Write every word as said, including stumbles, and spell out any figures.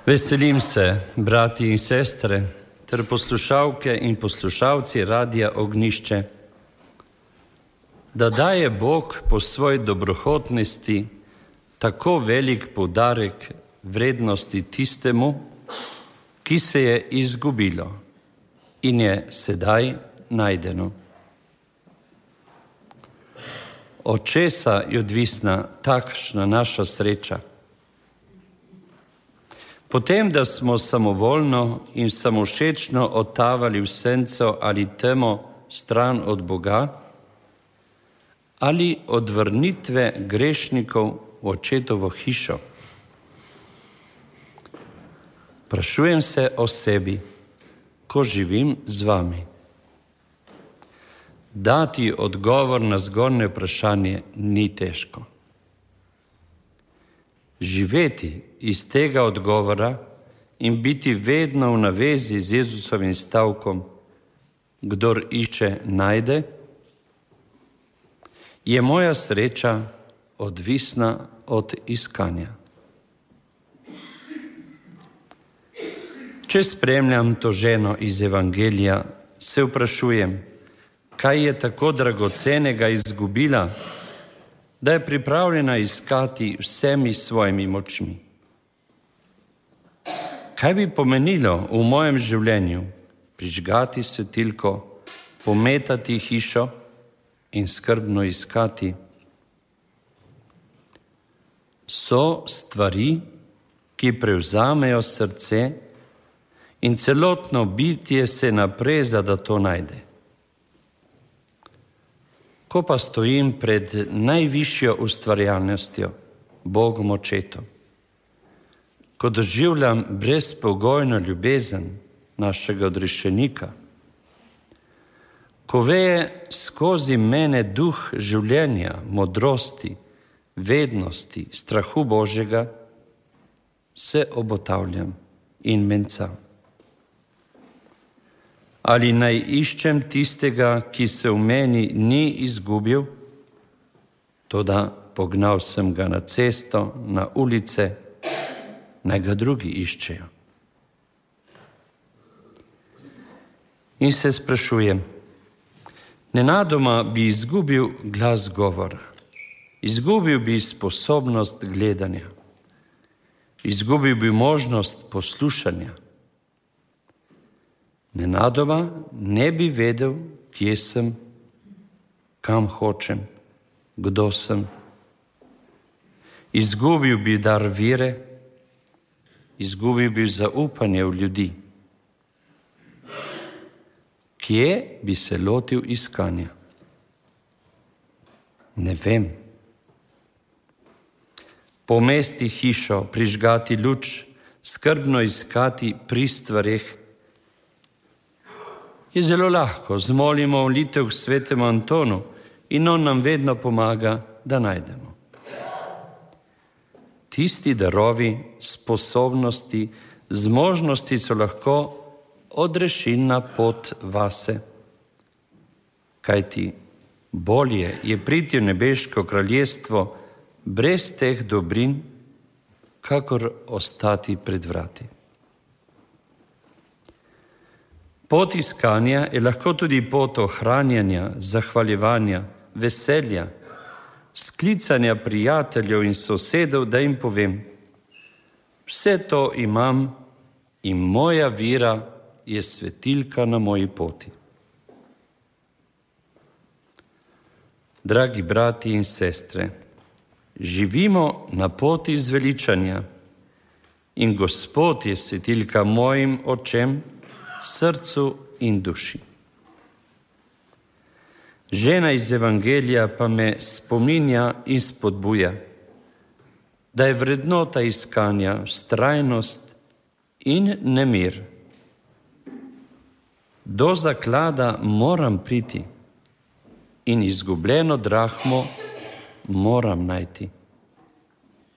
Veselim se, brati in sestre, ter poslušalke in poslušalci Radia Ognjišče, da daje Bog po svoji dobrohotnosti tako velik poudarek vrednosti tistemu, ki se je izgubilo in je sedaj najdeno. Od česa je odvisna takšna naša sreča? Potem, da smo samovoljno in samovšečno odtavali v senco ali temo stran od Boga, ali od vrnitve grešnikov v očetovo hišo. Sprašujem se o sebi, ko živim z vami. Dati odgovor na zgornje vprašanje ni težko. Živeti iz tega odgovora in biti vedno v navezi z Jezusovim stavkom, kdor išče, najde, je moja sreča odvisna od iskanja. Če spremljam to ženo iz Evangelija, se vprašujem, kaj je tako dragocenega izgubila, da je pripravljena iskati vsemi svojimi močmi. Kaj bi pomenilo v mojem življenju prižgati svetilko, pometati hišo in skrbno iskati? So stvari, ki prevzamejo srce in celotno bitje se napreza, da to najde. Ko pa stojim pred najvišjo ustvarjalnostjo, Bogom Očetom, ko doživljam brezpogojno ljubezen našega odrešenika, ko veje skozi mene duh življenja, modrosti, vednosti, strahu Božjega, se obotavljam in mencam. Ali naj iščem tistega, ki se v meni ni izgubil, toda pognal sem ga na cesto, na ulice, naj ga drugi iščejo. In se sprašujem, nenadoma bi izgubil glas govora, izgubil bi sposobnost gledanja, izgubil bi možnost poslušanja. Nenadoma ne bi vedel, kje sem, kam hočem, kdo sem. Izgubil bi dar vere, izgubil bi zaupanje v ljudi. Kje bi se lotil iskanja? Ne vem. Pomesti hišo, prižgati luč, skrbno iskati pri stvareh, je zelo lahko. Zmolimo molitev k svetemu Antonu in on nam vedno pomaga, da najdemo. Tisti darovi, sposobnosti, zmožnosti so lahko odrešilna pot vase. Kajti bolje je priti v nebeško kraljestvo brez teh dobrin, kakor ostati pred vrati. Pot iskanja je lahko tudi pot ohranjanja, zahvaljevanja, veselja, sklicanja prijateljev in sosedov, da jim povem, vse to imam in moja vera je svetilka na moji poti. Dragi brati in sestre, živimo na poti zveličanja in Gospod je svetilka mojim očem, srcu in duši. Žena iz Evangelija pa me spominja in spodbuja, da je vrednota iskanja vztrajnost in nemir. Do zaklada moram priti in izgubljeno drahmo moram najti.